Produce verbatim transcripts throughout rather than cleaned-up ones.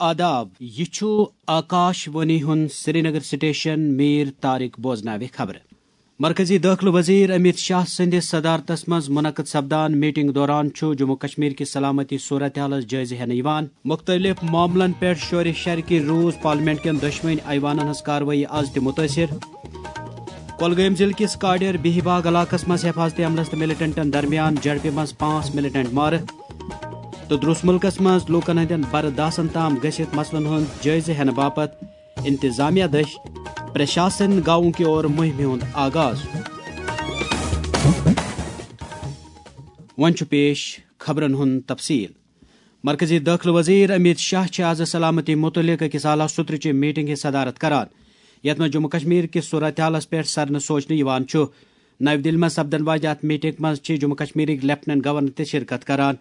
آداب، یہِ چھُ آکاش وانی ہُنٛد سرینگر سٹیشن۔ میر طارق بوزناوِ خبرٕ۔ مرکزی دٲخلہٕ وزیر امیت شاہ سٕنٛدِ صدارتس منٛز منعقد سپدان میٹنگ دوران چھُ جموں کشمیر کہِ سلامتی صورتحالس جٲیزٕ ہٮ۪نہٕ یِوان۔ مُختٔلِف معاملن پٮ۪ٹھ شورِ شرکہِ روٗز پارلیمنٹ کٮ۪ن دۄشوٕنۍ ایوانن ہٕنٛز کاروٲیی از تہِ مُتٲثِر۔ کۄلگٲمۍ ضلعہٕ کِس کاڈیر بِہِباگ علاقس منٛز حفاظتی عملس تہٕ ملیٹنٹن درمیان جھڑپہِ منٛز پانٛژھ ملیٹنٹ مارٕ۔ تہٕ درٛوس مُلکس منٛز لوٗکن ہٕنٛدٮ۪ن برداشن تام گٔژھِتھ مسلن ہُنٛد جٲیزٕ ہٮ۪نہٕ باپتھ انتظامیہ دٔسۍ پرشاسن گاؤں کی اور مُہِمہِ ہُنٛد آغاز۔ وۄنۍ چھُ پیش خبرن ہُنٛد تفصیل۔ مرکزی دٲخلہٕ وزیر امیت شاہ چھِ آز سلامتی مُتعلق أکِس اعلیٰ سطرٕچہِ میٹنگہِ صدارت کران، یَتھ منٛز جموں کشمیر کِس صورتحالَس پٮ۪ٹھ سرنہٕ سوچنہٕ یِوان چھُ۔ نَوِ دِلہِ منٛز سپدن واجہِ اَتھ میٹنگ منٛز چھِ جموں کشمیرٕکۍ لیفٹیننٹ گورنر تہِ شرکت کران۔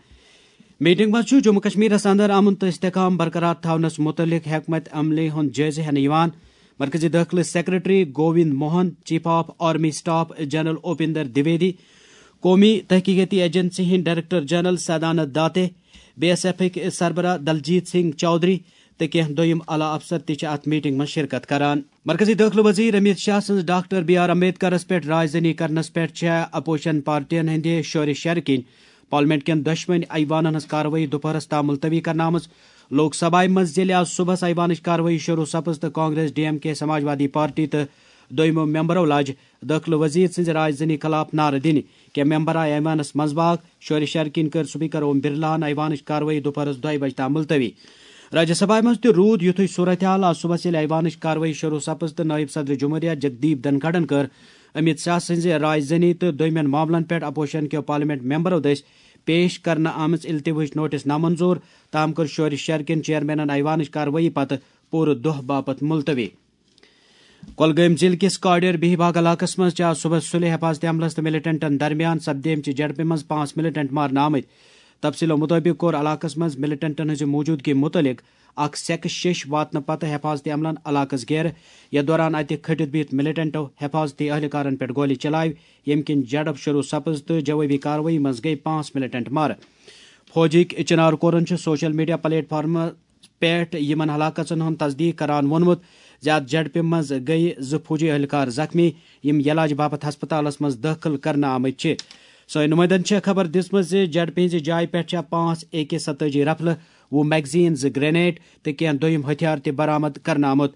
میٹنگ منٛز چھُ جموں کشمیرَس اندر امن تہٕ استحکام برقرار تھاونَس مُتعلق حکمت عملی ہُنٛد جٲیزٕ ہٮ۪نہٕ یِوان۔ مرکزی دٲخلہٕ secretary Govind Mohan, chief of army staff general Upendra Dwivedi, قومی تحقیقاتی ایجنسی ہٕنٛدۍ director general Sadanand Date, B S ایفٕکۍ سربراہ دلجیت سنگھ چودھری تہٕ کینٛہہ دوٚیِم اعلیٰ افسر تہِ چھِ اتھ میٹنگ منٛز شرکت کران۔ مرکزی دٲخلہٕ وزیر امیت شاہ سٕنٛز ڈاکٹر بی آر امبیڈکرس پٮ۪ٹھ راے زنی کرنس پٮ۪ٹھ چھےٚ اپوزیشن پارٹین ہٕنٛدِ شورِ شرِ کِنۍ پارلیمنٹ کٮ۪ن دۄشوٕنۍ ایوانن ہٕنٛز کاروٲیی دُپہرس تام ملتوی کرنہٕ آمٕژ۔ لوک سبھایہ منٛز ییٚلہِ آز صبحس ایوانٕچ کاروٲیی شروع سپٕز تہٕ کانگریس، ڈی ایم کے، سماجوادی پارٹی تہٕ دوٚیمو ممبرو لاجہِ دٲخلہٕ وزیر سٕنٛزِ راے زنی خلاف نعرٕ دِنہِ، کینٛہہ ممبر آیہِ ایوانس منٛز باگ۔ شورِ شرِ کِنۍ کٔر سپیکر اوم برلاہن ایوانٕچ کاروٲیی دُپہرس دۄیہِ بجہِ تام ملتوی۔ راجیہ سبھایہ منٛز تہِ روٗد یُتھُے صورتحال۔ آز صبحس ییٚلہِ ایوانٕچ کاروٲیی شروع سپٕز تہٕ نٲیِب صدر جمہوریہ جگدیپ دھنکھڑن کٔر امیت شاہ سٕنٛزِ راے زنی تہٕ دوٚیمٮ۪ن معاملن پٮ۪ٹھ اپوزیشن کیو پارلیمنٹ ممبرو دٔسۍ پیش کرنہٕ آمٕژ التوٲہٕچ نوٹس نامنظور۔ تام کٔر شورِ شرِ کٮ۪ن چیئرمینن ایوانٕچ کاروٲیی پتہٕ پوٗرٕ دۄہ باپتھ ملتوی۔ کۄلگٲمۍ ضلعہٕ کِس کاڈیر بِہِباگ علاقس منٛز چھِ آز صبحس سُلہِ حفاظتِ عملس تہٕ ملیٹنٹن درمیان سپدیمژِ جھڑپہِ منٛز پانٛژھ ملیٹنٹ مارنہٕ آمٕتۍ۔ تفصیلو مُطٲبِق کوٚر علاقس منٛز ملیٹنٹن ہٕنٛزِ موجودگی مُتعلق اکھ سیکس شیٚش واتنہٕ پتہٕ حفاظتِ عملن علاقس گیرٕ، یتھ دوران اتہِ کھٔٹِتھ بِہِتھ ملیٹنٹو حفاظتی اہلکارن پٮ۪ٹھ گولی چلایہِ، ییٚمہِ کِنۍ جھڑپ شروع سپٕز تہٕ جوابی کاروٲیی منٛز گٔیہِ پانٛژھ ملیٹنٹ مارٕ۔ فوجٕکۍ چنار کورن چھُ سوشل میڈیا پلیٹ فارمس پٮ۪ٹھ یِمن ہلاکژن ہُنٛد تصدیق کران ووٚنمُت زِ اتھ جھڑپہِ منٛز گٔیہِ زٕ فوجی اہلکار زخمی، یِم علاج باپتھ ہسپتالس منٛز دٲخل کرنہٕ آمٕتۍ چھِ۔ سٲنۍ نُمٲیندن چھےٚ خبر دِژمٕژ زِ جھڑپہِ ہٕنٛزِ جایہِ پٮ۪ٹھ چھےٚ پانٛژھ اے کے ستٲجی رفلہٕ، وُہ میگزین، زٕ گرینیڈ تہٕ کینٛہہ دوٚیِم ہتھیار تہِ برآمد کرنہٕ آمُت۔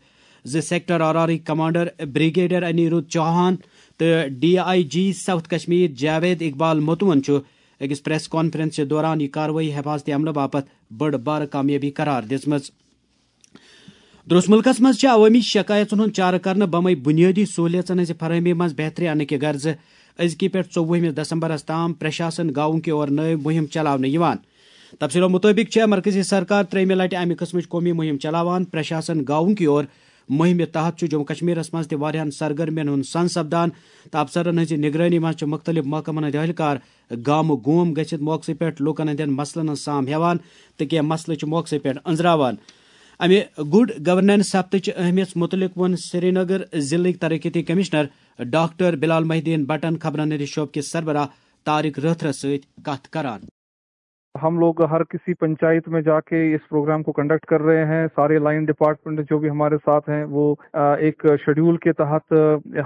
زِ سیکٹر آر آر ٕکۍ کمانڈر بریگیڈیئر انیرودھ چوہان تہٕ D I G south Kashmir Javed Iqbal متون چھُ أکِس پریس کانفرنس دوران یہِ کاروٲیی حفاظتی عملہٕ باپتھ بٔڑ بارٕ کامیٲبی قرار دِژمٕژ۔ درٛوس مُلکس منٛز چھِ عوٲمی شکایژن ہُنٛد چارٕ کرنہٕ بمے بُنیٲدی سہوٗلیژن ہٕنٛزِ فراہمی منٛز بہتری اننہٕ کہِ غرضہٕ أزکہِ پٮ۪ٹھ ژوٚوُہمِس دسمبرس تام پرشاسن گاؤں کی اور نٲوۍ مُہِم چلاونہٕ یِوان۔ تفصیلو مُطٲبِق چھےٚ مرکزی سرکار ترٛیٚیِمہِ لٹہِ امہِ قٕسمٕچ قومی مُہِم چلاوان۔ پرشاسن گاؤں کی اور مُہِمہِ تحت چھُ جموں کشمیرس منٛز تہِ واریاہن سرگرمین ہُنٛد سن سپدان تہٕ افسرن ہٕنٛزِ نگرٲنی منٛز چھِ مُختٔلِف محکمن ہٕنٛدۍ اہلکار گامہٕ گوم گٔژھِتھ موقعہٕ پٮ۪ٹھ لوٗکن ہٕنٛدٮ۪ن مسلن ہٕنٛز سام ہٮ۪وان تہٕ کینٛہہ مسلہٕ چھِ موقعہٕ پٮ۪ٹھ أنٛزراوان۔ امہِ گڈ گورننس ہفتہٕ چہِ اہمیت مُتعلق ووٚن سرینگر ضلعٕکۍ ترقیتی کمشنر ڈاکٹر بلال محی الدین بٹن خبرن ہٕنٛدِ شعبہٕ کِس سربراہ طارق رٲتھرس سۭتۍ کتھ کران۔ ہم لوگ ہر کسی پنچایت میں جا کے اس پروگرام کو کنڈکٹ کر رہے ہیں۔ سارے لائن ڈپارٹمنٹ جو بھی ہمارے ساتھ ہیں، وہ آ، ایک شیڈیول کے تحت آ،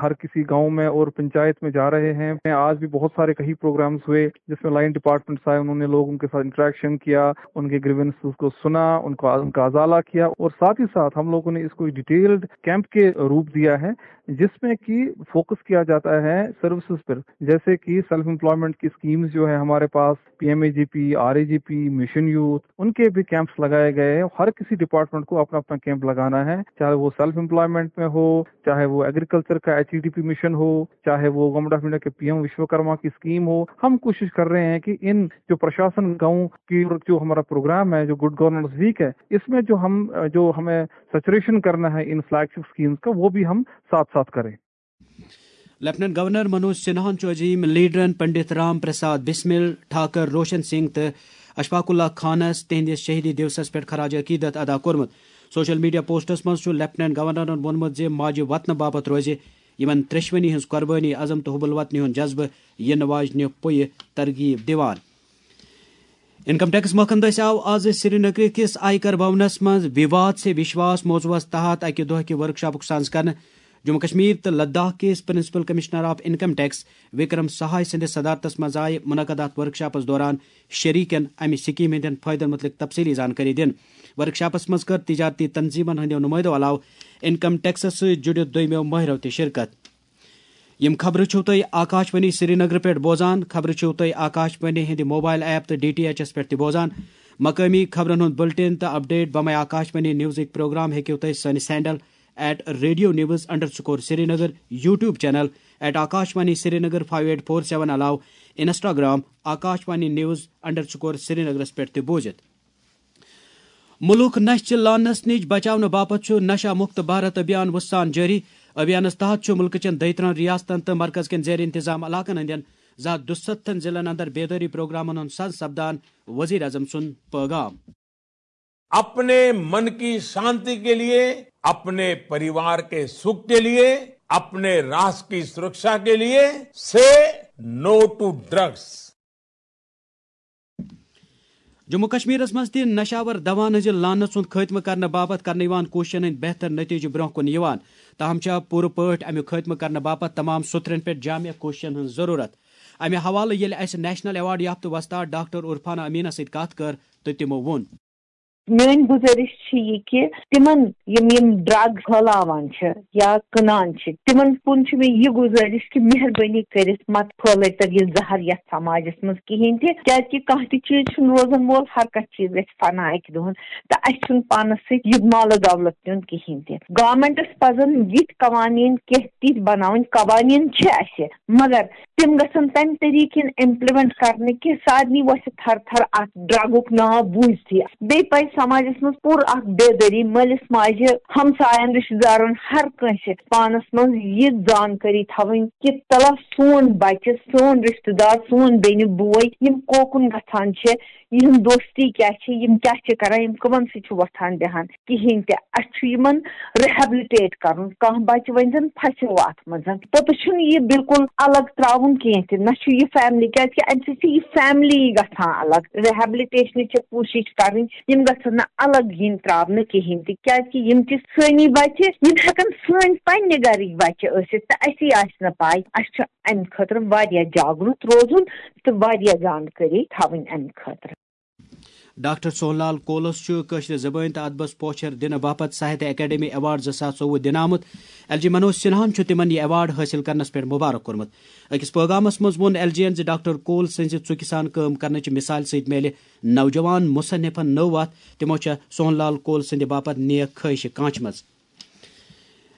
ہر کسی گاؤں میں اور پنچایت میں جا رہے ہیں۔ آج بھی بہت سارے کئی پروگرامز ہوئے، جس میں لائن ڈپارٹمنٹس آئے، انہوں نے لوگوں کے ساتھ انٹریکشن کیا، ان کے گریونسز کو سنا، ان کو، ان کا ازالہ کیا، اور ساتھ ہی ساتھ ہم لوگوں نے اس کو ڈیٹیلڈ کیمپ کے روپ دیا ہے، جس میں کہ فوکس کیا جاتا ہے سروسز پر، جیسے کہ سیلف امپلائمنٹ کی اسکیمز جو ہے ہمارے پاس، P M A G P, R A G P, mission youth, ان کے بھی کیمپس لگائے گئے ہیں۔ ہر کسی ڈپارٹمنٹ کو اپنا اپنا کیمپ لگانا ہے، چاہے وہ سیلف امپلائمنٹ میں ہو، چاہے وہ ایگریکلچر کا H E D P mission ہو، چاہے وہ گورنمنٹ آف انڈیا کے پی ایم وشوکرما کی اسکیم ہو۔ ہم کوشش کر رہے ہیں کہ ان جو پرشاسن گاؤں کی جو ہمارا پروگرام ہے، جو گڈ گورننس ویک ہے، اس میں جو ہم، جو ہمیں سیچوریشن کرنا ہے ان فلیگ شپ اسکیمز کا، وہ بھی ہم ساتھ ساتھ کریں۔ لیفٹیننٹ گورنر منوج سنہاہن چھُ عظیم لیڈرن پنڈت رام پرساد بسمل، ٹھاکر روشن سنگھ تہٕ اشفاق اللہ خانس تِہنٛدِس شہیدی دیوسس پٮ۪ٹھ خراج عقیدت ادا کوٚرمُت۔ سوشل میڈیا پوسٹس منٛز چھُ لیفٹیننٹ گورنرن ووٚنمُت زِ ماجہِ وطنہٕ باپتھ روزِ یِمن ترٛیشونی ہٕنٛز قربٲنی، عزم تہٕ حب الوطنی ہُنٛد جذبہٕ یِنہٕ واجنہِ پُیہِ ترغیب دِوان۔ انکم ٹیکس محکمہٕ دٔسۍ آو آز سرینگر کِس آیکر بھونس منٛز وِواد سے وشواس موضوعس تحت اکہِ دۄہ کہِ ورکشاپُک سانز کرنہٕ۔ جموں کشمیر تہٕ لداخ کِس principal commissioner of income tax Vikram Sahay سٕنٛدِس صدارتس منٛز آیہِ منعقد اتھ ورکشاپس دوران شریکن امہِ سکیمہِ ہٕنٛدٮ۪ن فٲیدن مُتعلق تفصیلی زانکٲری دِنہٕ۔ ورکشاپس منٛز کٔر تجارتی تنظیمن ہٕنٛدیو نمٲیندو علاوٕ انکم ٹیکسس سۭتۍ جُڑِتھ دوٚیمٮ۪و مٲہرو تہِ شرکت۔ یِم خبرٕ چھِو تُہۍ آکاش وانی سرینگر پٮ۪ٹھ بوزان۔ خبرٕ چھِو تُہۍ آکاش وانی ہٕنٛدِ موبایل ایپ تہٕ ڈی ٹی ایچ ایس پٮ۪ٹھ تہِ بوزان۔ مقٲمی خبرن ہُنٛد بُلٹن تہٕ اپڈیٹ بمے آکاش وانی نیوزٕکۍ پروگرام ہیٚکِو تُہۍ سٲنِس handle at radio news underscore Srinagar, YouTube channel at Akashvani Srinagar five eight four seven علاوٕ Instagram Akashvani news underscore سرینگرس پٮ۪ٹھ تہِ بوٗزِتھ۔ مُلک نشہِ لانس نِش بچاونہٕ باپتھ چھُ نشہ مکت بھارت ابھیان وُسان جٲری۔ ابھیانس تحت چھُ مُلکہٕ چٮ۪ن دۄیہِ ترٛہن ریاستن تہٕ مرکز کٮ۪ن زیر انتظام علاقن ہٕنٛدٮ۪ن زٕ ہتھ دُستتھن ضلعن اندر بیدٲری پروگرامن ہُنٛد سنز سپدان وزیر اعظم سُنٛد پٲغام۔ अपने मन की शांति के लिए, अपने परिवार के सुख के लिए, अपने राष्ट्र की सुरक्षा के लिए, say no to drugs. Jammu کشمیرس منٛز تہِ نشاور دوہن ہٕنٛزِ لعنت ہُنٛد خٲتمہٕ کرنہٕ باپتھ کرنہٕ یِوان کوٗششن ہٕنٛدۍ بہتر نتیجہٕ برونٛہہ کُن یِوان۔ تاہم چھےٚ پوٗرٕ پٲٹھۍ امیُک خٲتمہٕ کرنہٕ باپتھ تمام سُترن پٮ۪ٹھ جامع کوٗششن ہٕنٛز ضروٗرت۔ امہِ حوالہٕ ییٚلہِ اسہِ نیشنل ایوارڈ یافتہٕ وۄستاد ڈاکٹر عرفانہ امینس سۭتۍ کتھ کٔر تہٕ تِمو ووٚن۔ میٲنۍ گُزٲرِش چھِ یہِ کہِ تِمن یِم یِم ڈرگ پھٲلاوان چھِ یا کٕنان چھِ، تِمن کُن چھِ مےٚ یہِ گُزٲرِش کہِ مہربٲنی کٔرِتھ مت پھٲلٲوتو یہِ زہر یتھ سماجس منٛز کِہینۍ تہِ، کیازِ کہِ کانٛہہ تہِ چیٖز چھُنہٕ روزان وول، ہر کانٛہہ چیٖز گژھِ فنا اکہِ دۄہن، تہٕ اسہِ چھُنہٕ پانس سۭتۍ یہِ مال و دولت نیُن کِہینۍ تہِ۔ گورمنٹس پزن یِتھۍ قوانین کینٛہہ تِتھۍ بناوٕنۍ، قوانین چھِ اسہِ، مگر تِم گژھن تمہِ طریقہٕ یِن امپلمنٹ کرنہٕ کہِ سارنٕے وۄتھِ تھر تھر اتھ ڈرگُک ناو بوٗزتھٕے۔ بیٚیہِ پزِ سماجس منٛز پوٗرٕ اکھ بیدٲری، مٲلِس ماجہِ، ہمساین، رشتہٕ دارن، ہر کٲنٛسہِ پانس منٛز یہِ زانکٲری تھاوٕنۍ کہِ تلا سون بچہِ، سون رشتہٕ دار، سون بیٚنہِ بوے یِم کوکُن گژھان چھِ، یِہنٛد دوستی کیٛاہ چھِ، یِم کیٛاہ چھِ کران، یِم کٕمن سۭتۍ چھِ وۄتھان بیٚہان۔ کِہینۍ تہِ۔ اسہِ چھُ یِمن ریہبلٹیٹ کرُن۔ کانٛہہ بچہِ ؤنۍ زن پھسیو اتھ منٛز، پوٚتُس چھُنہٕ یہِ بالکل الگ تراوُن کینٛہہ تہِ، نہ چھُ یہِ فیملی، کیازِ کہِ امہِ سۭتۍ چھِ یہِ فیملی گژھان الگ۔ ریہبلٹیشنٕچ چھِ کوٗشش کرٕنۍ، یِم گژھن نہٕ الگ یِنۍ تراونہٕ کِہینۍ تہِ، کیازِ کہِ یِم تہِ سٲنی بچہِ، یِم ہٮ۪کن سٲنۍ پننہِ گرٕکۍ بچہِ ٲسِتھ تہٕ اسی آسہِ نہٕ پاے۔ اسہِ چھُ امہِ خٲطرٕ واریاہ جاگرُت روزُن تہٕ واریاہ زانکٲری تھاوٕنۍ امہِ خٲطرٕ۔ ڈاکٹر سون لال کولس چھُ کٲشرِ زبٲنۍ تہٕ ادبس پوچھر دِنہٕ باپتھ ساہتیہ اکیڈمی ایوارڈ زٕ ساس ژوٚوُہ دِنہٕ آمُت۔ ایل جی منوج سنہاہن چھُ تِمن یہِ ایوارڈ حٲصِل کرنس پٮ۪ٹھ مبارک کوٚرمُت۔ أکِس پٲغامس منٛز ووٚن ایل جی ین زِ ڈاکٹر کول سٕنزِ ژُکہِ سان کٲم کرنٕچہِ مثالہِ سۭتۍ میلہِ نوجوان مصنفن نٔو وتھ۔ تِمو چھےٚ سون لال کول سٕنٛدِ باپتھ نیک خٲہشہِ کانچمژ۔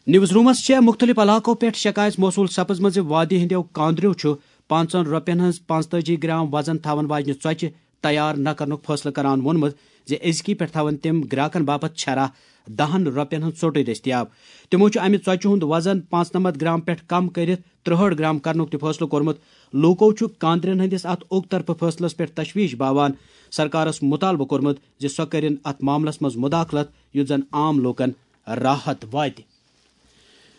نیوز رومس چھےٚ مُختٔلِف علاقو پٮ۪ٹھ شکایت موصوٗل سپٕزمٕژ زِ وادی ہٕنٛدیو کاندریو چھُ پانٛژن رۄپین ہٕنٛز پانٛژتٲجی گرام وزن تھاون واجنہِ ژۄچہِ تیار نہ کرنُک فٲصلہٕ کران ووٚنمُت زِ أزکی پٮ۪ٹھ تھاون تِم گراکن باپتھ چھرا دہن رۄپین ہٕنٛز ژوٚٹٕے دٔستیاب۔ تِمو چھُ امہِ ژۄچہِ ہُنٛد وزن پانٛژنمتھ گرام پٮ۪ٹھ کم کٔرِتھ ترٛہٲٹھ گرام کرنُک تہِ فٲصلہٕ کوٚرمُت۔ لوٗکو چھُ کاندرٮ۪ن ہٕنٛدِس اتھ اوٚک طرفہٕ فٲصلس پٮ۪ٹھ تشویش باوان سرکارس مُطالبہٕ کوٚرمُت زِ سۄ کٔرِن اتھ معاملس منٛز مداخلت، یُتھ زن عام لوٗکن راحت واتہِ۔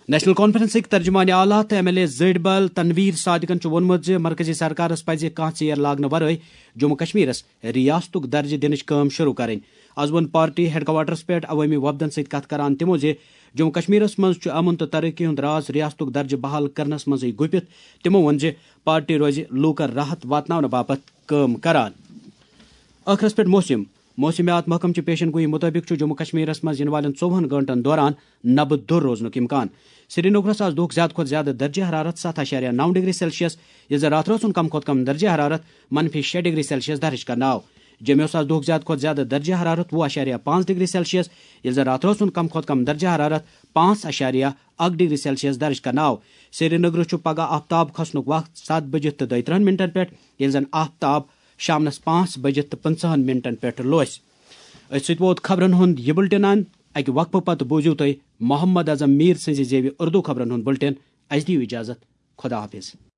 نیشنل کانفرنسٕکۍ ترجمان اعلیٰ تہٕ ایم ایل اے زٔٹۍ بل تنویر صادقن چھُ ووٚنمُت زِ مرکزی سرکارس پزِ کانٛہہ ژیر لاگنہٕ ورٲے جموں کشمیرس ریاستُک درجہٕ دِنٕچ کٲم شروع کرٕنۍ۔ از ووٚن پارٹی ہیڈ کوارٹرس پٮ۪ٹھ عوٲمی وفدن سۭتۍ کتھ کران تِمو زِ جموں کشمیرس منٛز چھُ امن تہٕ ترقی ہُنٛد راز ریاستُک درجہٕ بحال کرنس منٛزٕے گُپِتھ۔ تِمو ووٚن زِ پارٹی روزِ لوٗکن راحت واتناونہٕ باپتھ کٲم کران۔ ٲخرس پٮ۪ٹھ موسم۔ موسمیات محکمہٕ چہِ پیشن گویی مُطٲبِق چھُ جموں کشمیرس منٛز یِنہٕ والٮ۪ن ژوٚوُہن گٲنٛٹن دوران نبہٕ دوٚر روزنُک امکان۔ سرینگرس آز دۄہُک زیادٕ کھۄتہٕ زیادٕ درجہ حرارت ستھ اعشاریہ نو ڈگری سیلسیس، ییٚلہِ زن راتھ رٲژ ہُنٛد کم کھۄتہٕ کم درجہ حرارت منفی شےٚ ڈگری سیلسیس درج کرنہٕ آو۔ جوٚمہِ اوس آز دۄہُک زیادٕ کھۄتہٕ زیادٕ درجہ حرارت وُہ اعشاریہ پانٛژھ ڈگری سیلسیس، ییٚلہِ زن راتھ رٲژ ہُنٛد کم کھۄتہٕ کم درجہ حرارت پانٛژھ اعشاریہ اکھ ڈگری سیلسیس درج کرنہٕ آو۔ سرینگرس چھُ پگہہ آفتاب کھسنُک وقت ستھ بجِتھ تہٕ دۄیہِ ترٕٛہن منٹن پٮ۪ٹھ، ییٚلہِ زن آفتاب شامنس پانٛژھ بجِتھ تہٕ پٕنٛژٕہن منٹن پٮ۪ٹھ لوسہِ۔ أتھۍ سۭتۍ ووت خبرن ہُنٛد یہِ بُلٹن اند۔ اکہِ وقفہٕ پتہٕ بوٗزِو تُہۍ محمد اعظم میر سٕنٛزِ زیوِ اردو خبرن ہُنٛد بُلٹن۔ اسہِ دِیِو اجازت۔ خدا حافظ۔